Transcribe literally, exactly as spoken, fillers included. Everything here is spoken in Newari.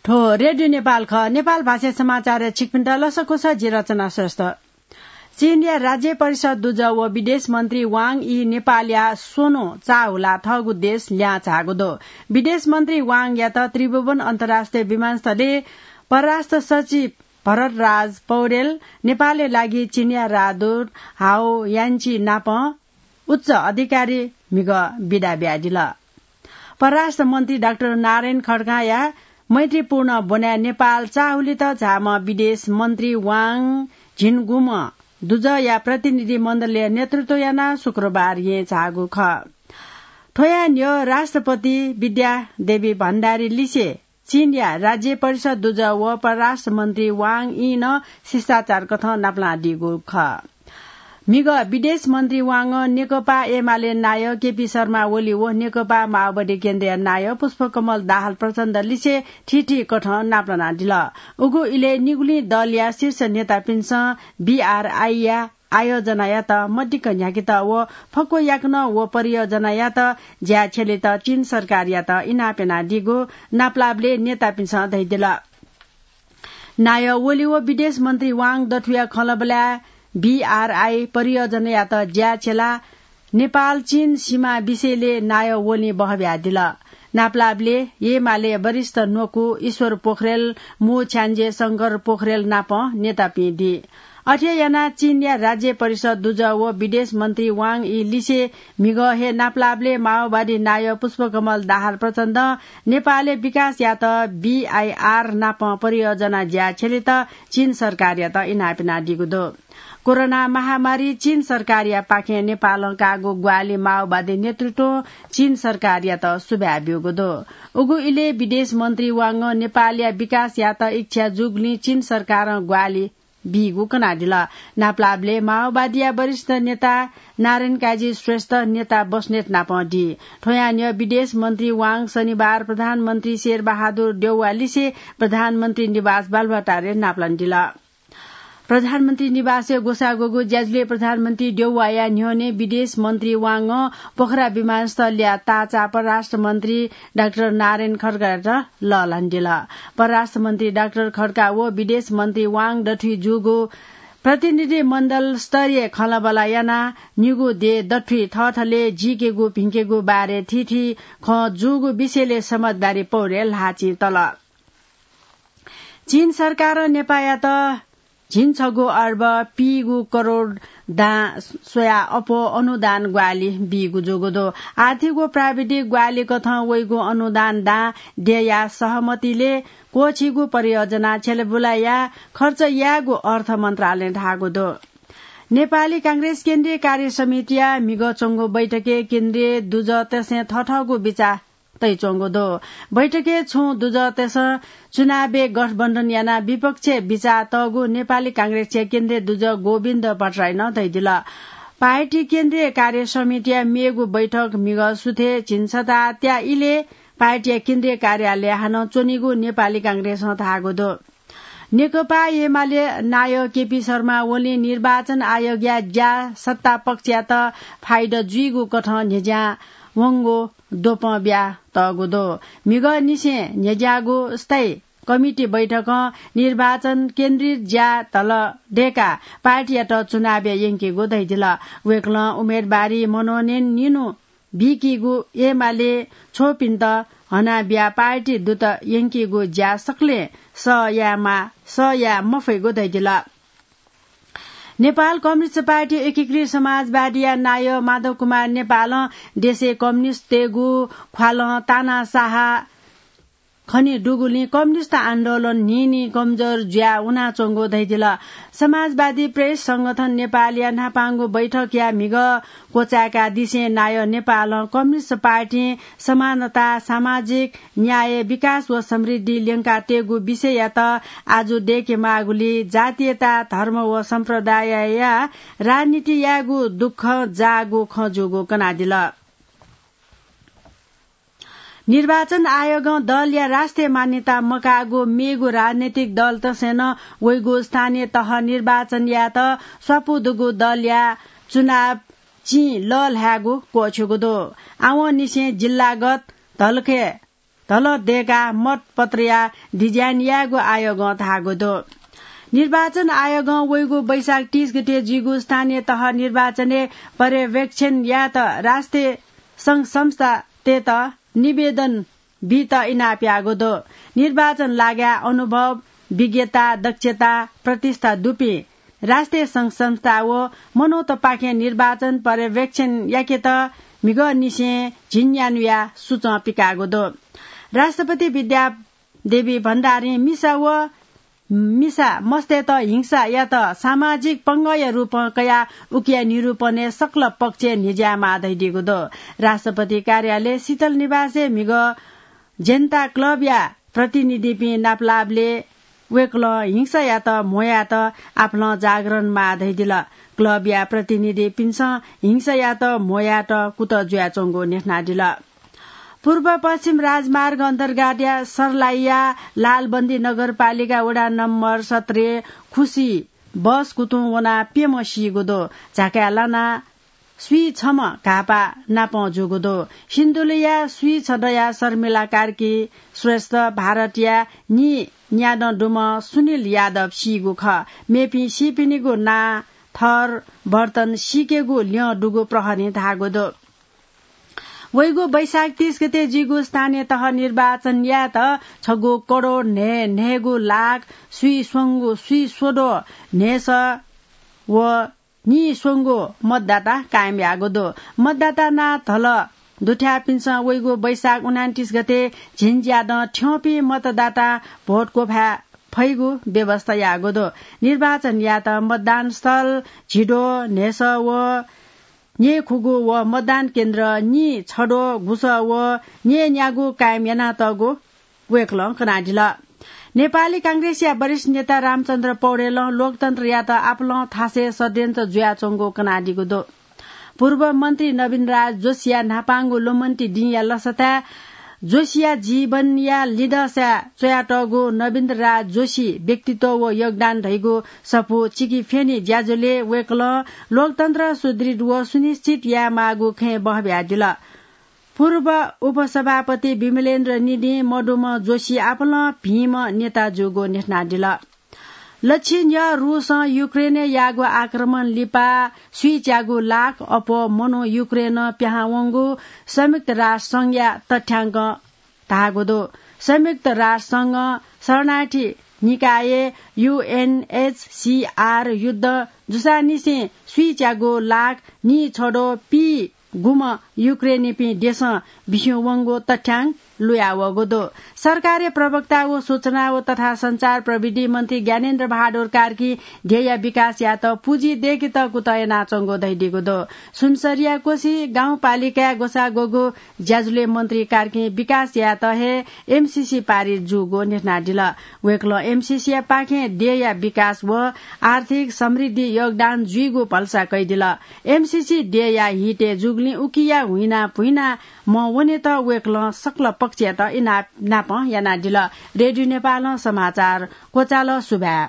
थ्व रेडियो नेपाल खः। नेपाल भाषा समाचार छिकपिन्त लसकुस, जि रचना श्रेष्ठ। चीनया राज्य परिषद दुजः व विदेश मन्त्री वाङ यी नेपालया स्वन्हु चाःहुला थःगु देश ल्यां झाःगु दु। विदेश मन्त्री वाङयात त्रिभुवन अन्तर्राष्ट्रिय विमानस्थलय् परराष्ट्र सचिव भरतराज पौडेल, नेपालया लागि चीनया राजदूत हाओ यान्ची नाप उच्च अधिकारी म्हिगः बिदा बियादिल। परराष्ट्र मन्त्री डाक्टर नारायण खड्काया मैत्रीपूर्ण ब्वनाय् नेपाल चाःहुलित झाःम्ह विदेश मन्त्री वाङ झिंगुम्ह दुजःया प्रतिनिधि मण्डलया नेतृत्व यानाः शुक्रबार येँ झाःगु खः। थ्वया न्ह्यः राष्ट्रपति विद्या देवी भण्डारी लिसे चीनया राज्य परिषद दुजः व परराष्ट्र मन्त्री वाङ यीं नं शिष्टाचार कथं नापलानादीगु खः। म्हिगः विदेश मन्त्री वाङं नेकपा एमाले नायः केपी शर्मा ओली व नेकपा माओवादी केन्द्रया नायः पुष्पकमल दाहाल प्रचण्ड लिसे थीथी कथं नापलानादिल। उगु इलय् निगुलिं दलया शीर्ष नेतापिन्सं बीआरआईया आयोजनायात मदिक्क न्ह्याकेत व फक्व याकनं व परियोजनायात ज्याय् छ्यलेत चीन सरकारयात इनाप यानादीगु नापलाःबलय् नेतापिन्सं धयादिल। नायः ओली व विदेश मन्त्री वाङ दथुया खँल्हाबल्हाय् बीआरआई परियोजनायात ज्याय् छ्यलाः नेपाल चीन सीमा विषयलय् नायः ओलीं बहबियादिल। नापलाःबलय् एमाले वरिष्ठ न्वकू ईश्वर पोखरेल, मू छ्याञ्जे शंकर पोखरेल नाप नेतापिं दी। अथे यानाः चीनया राज्य परिषद दुजः व विदेश मन्त्री वाङ यी लिसे म्हिगः हे नापलाःबलय् माओवादी नायः पुष्पकमल दाहाल प्रचण्डं नेपालय् विकास यात बीआईआर नाप परियोजना ज्याय् छ्यलेत चीन सरकारयात इनाप यानादीगु दु। कोरोना महामारी चीन सरकारयापाखें नेपालं काःगु ग्वाहालि माओवादी नेतृत्वं चीन सरकारयात सुभाय् ब्यूगु दु। उगु इलय् विदेश मन्त्री वाङं नेपालया विकास यात इच्छा जूगुलिं चीन सरकारं ग्वाहालि बीगु कनादिल। नापलाःबलय् माओवादीया वरिष्ठ नेता नारायण काजी श्रेष्ठ नेता बस्नेत नापं दी। थ्वयां न्ह्यः विदेश मन्त्री वाङ शनिबार प्रधानमन्त्री शेरबहादुर देउवा लिसे प्रधानमन्त्री निवास बालुवाटारय् नापलानादिल। प्रधानमन्त्री निवासय् ग्वसाः ग्वःगु ज्याझ्वलय् प्रधानमन्त्री देउवाया न्ह्यःने विदेश मन्त्री वाङं पोखरा विमानस्थलया ताःचा परराष्ट्र मन्त्री डाक्टर नारायण खड्कायात लःल्हानादिल। परराष्ट्र मन्त्री डाक्टर खड्का व विदेश मन्त्री वाङ दथुइ जूगु प्रतिनिधि मण्डल स्तरीय खँल्हाबल्हा यानाः निगू देय् दथुइ थःथलय् जीकेगु भिंकेगु बारे थीथी खँ जूगु विषयलय् समझदारी पौरे ल्हाःचिं तल। चीन सरकारं नेपाःयात झिंछगू अर्ब पीगू करोड दां स्वयाः अप्वः अनुदान ग्वाहालि बीगु जूगु दु। आर्थिक व प्राविधिक ग्वाहालि कथं वइगु अनुदान दां देय्‌या सहमतिलय् क्वःछिगू परियोजना छ्यलेबुलाया खर्च यायेगु अर्थ मन्त्रालयं धाःगु दु। नेपाली कांग्रेस केन्द्रीय कार्य समितिया म्हिगः च्वंगु बैठकय् केन्द्रीय दुजःतय्‌सं थथःगु बिचाः तयाच्वंगु दु। बैठकय् छुं दुजःतय्‌सं चुनावय् गठबन्धन यानाः विपक्षय् बिचाः तःगु नेपाली कांग्रेसया केन्द्रीय दुजः गोविन्द भट्टराईं धयादिल। पार्टी केन्द्रीय कार्य समितिया मेगु बैठक म्हिगः सुथय् झिंछता त्याः इलय् पार्टीया केन्द्रीय कार्यालय हानं च्वनीगु नेपाली कांग्रेसं धाःगु दु। नेकपा एमाले नायः केपी शर्मा ओलीं निर्वाचन आयोगया ज्या सत्ता पक्षयात फाइदा जुइगु कथं न्ह्यज्यां वंगु द्वपं बियातःगु दु। म्हिगःनिसें न्ह्यज्याःगु स्थायी कमिटी बैठकं निर्वाचन केन्द्रित ज्या धल दय्‌काः पार्टीयात चुनावय् यंकीगु धयादिल। वय्‌कलं उम्मेदवारी मनोनयन निन्हु बीकीगु एमाले छ्वःपिन्त हनाबियाः पार्टी दुत यंकीगु ज्या सकलें सह यायेमाः, सह याये मफइगु धयादिल। नेपाल कम्युनिस्ट पार्टी एकीकृत समाजवादीया नायः माधव कुमार नेपालं देशय् कम्युनिस्टतय्‌गु ख्वालं तानाशाह खने दुगुलिं कम्युनिस्ट आन्दोलन न्हिं न्हिं कमजोर जुया वनाच्वंगु धयादिल। समाजवादी प्रेस संगठन नेपालया न्हापांगु बैठकया म्हिगः क्वचाय्‌कादिसें नायः नेपालं कम्युनिस्ट पार्टीं समानता, सामाजिक न्याय, विकास व समृद्धि ल्यंकातयेगु विषययात आजु दय्‌केमाःगुलिं जातीयता, धर्म व सम्प्रदायया राजनीति यायेगु दुःख जाःगु खँ जूगु कनादिल। निर्वाचन आयोगं दलया राष्ट्रिय मान्यता मकाःगु मेगु राजनैतिक दलतय्‌सं नं वइगु स्थानीय तह निर्वाचन यायेत स्वापू दुगु दलया चुनाव चिं लःल्हायेगु क्वःछ्यूगु दु। आवंनिसें जिल्लागत धलखय् धल दय्‌काः मतपत्रया डिजाइन यायेगु आयोगं धाःगु दु। निर्वाचन आयोगं वइगु वैशाख तीस गते जुइगु स्थानीय तह निर्वाचनय् पर्यवेक्षण यायेत राष्ट्रिय संघ संस्थातय्‌त निवेदन बीत इनाप याःगु दु। निर्वाचन लागाय् अनुभव, विज्ञता, दक्षता, प्रतिष्ठा दुपिं राष्ट्रिय संघ संस्था व मनूतपाखें निर्वाचन पर्यवेक्षण याकेत म्हिगःनिसें झिंन्यान्हुया सुचं पिकाःगु दु। राष्ट्रपति विद्यादेवी भण्डारीं मिसा व मिसा मस्तय्‌त हिंसायात सामाजिक पंगःया रूपं कयाः उकिया निरूपणय् सकल पक्षय् न्ह्यज्यायेमाः धयादीगु दु। राष्ट्रपति कार्यालय शीतल निवासय् म्हिगः जनता क्लबया प्रतिनिधिपिं नापलाःबलय् वय्‌कलं हिंसायात म्ह्वयात आपालं जागरण माः धयादिल। क्लबया प्रतिनिधिपिन्सं हिंसायात म्ह्वयात कुतः जुयाच्वंगु न्ह्यथनादिल। पूर्व पश्चिम राजमार्ग अन्तर्गतया सर्लाहीया लालबन्दी नगरपालिका वडा नम्बर सत्रय् खुसी बस कुतुं वनाः प्यम्ह सीगु दु। झाकाय् लानाः स्वीछम्ह घाःपाः नापं जूगु दु। सिन्धुलीया स्वीछदँया शर्मिला कार्की श्रेष्ठ, भारतया नीन्यादँ दुम्ह सुनिल यादव सीगु खः। मेपिं सीपिनिगु नां, थर, वर्तन सीकेगु ल्यं दुगु प्रहरीं धाःगु दु। वइगु वैशाख तीस गते जुइगु स्थानीय तह निर्वाचन यायेत छगू करोड न्हय् न्हय्‌गू लाख स्वीस्वंगू स्वीस्वद्वः न्हय्‌सः व नीस्वंगू मतदाता कायम याःगु दु। मतदाता नां धल दुथ्याःपिन्सं वइगु वैशाख उनान्तिस गते झिंज्यादँ थ्यंपिं मतदातां भोट क्वभाये फइगु व्यवस्था याःगु दु। निर्वाचन यायेत मतदान स्थल झिद्वः न्हय्‌सः व न्यय्‌खुगू व मतदान केन्द्र नीछद्वः गुसः व न्यय्‌न्यागू कायम यानातःगु वय्‌कलं कनादिल। नेपाली कांग्रेसया वरिष्ठ नेता रामचन्द्र पौडेलं लोकतन्त्रयात आपालं थासय् षड्यन्त्र जुयाच्वंगु कनादीगु दु। पूर्व मन्त्री नवीन राज जोशीया न्हापांगु लुमन्ति दिंया लसताय् जोशीया जीवनया लिधंसाय् च्वयातःगु नवीन राज जोशी व्यक्तित्व व योगदान धइगु सफू चिकिफ्यनी ज्याझ्वलय् वय्‌कलं लोकतन्त्र सुदृढ व सुनिश्चित यायेमाःगु खँय् बहब्यादिल। पूर्व उपसभापति विमलेन्द्र निधिं मदुम्ह जोशी आपालं भिंम्ह नेता जूगु न्ह्यथनादिल। लक्षिन्य रुसं युक्रेनय् याःगु आक्रमण लिपा स्वीच्यागु लाख अप्वः मनू युक्रेनं पिहां वंगु संयुक्त राष्ट्र संघया तथ्यांकं धाःगु दु। संयुक्त राष्ट्र संघं शरणार्थी निकाय युएनएचसीआर युद्ध जूसांनिसें स्वीच्यागु लाख नीछद्वः पीगुम्ह युक्रेनीपिं देशं बिस्युं वंगु तथ्यांक लुयावःगु दु। सरकारया प्रवक्ता व सूचना व तथा सञ्चार प्रविधि मन्त्री ज्ञानेन्द्र बहादुर कार्कीं देय्‌या विकास यायेत पुँजी दय्‌केत कुतः यानाच्वंगु धयादीगु दु। सुनसरीया कोशी गाउँपालिकाय् ग्वसाः ग्वःगु ज्याझ्वलय् मन्त्री कार्कीं विकास यायेत हे एमसीसी पारित जूगु न्ह्यथनादिल। वय्‌कलं एमसीसीया पाखें देय्‌या विकास व आर्थिक समृद्धि योगदान जुइगु भलसा कयादिल। एमसीसी देय्‌या हितय् जूगुलिं उकिया हुइना भुइना मवनेत वय्‌कलं सकल पक्षयात इनाप नापं यानादिल। रेडियो नेपालं समाचार क्वचाल। सुभाय्।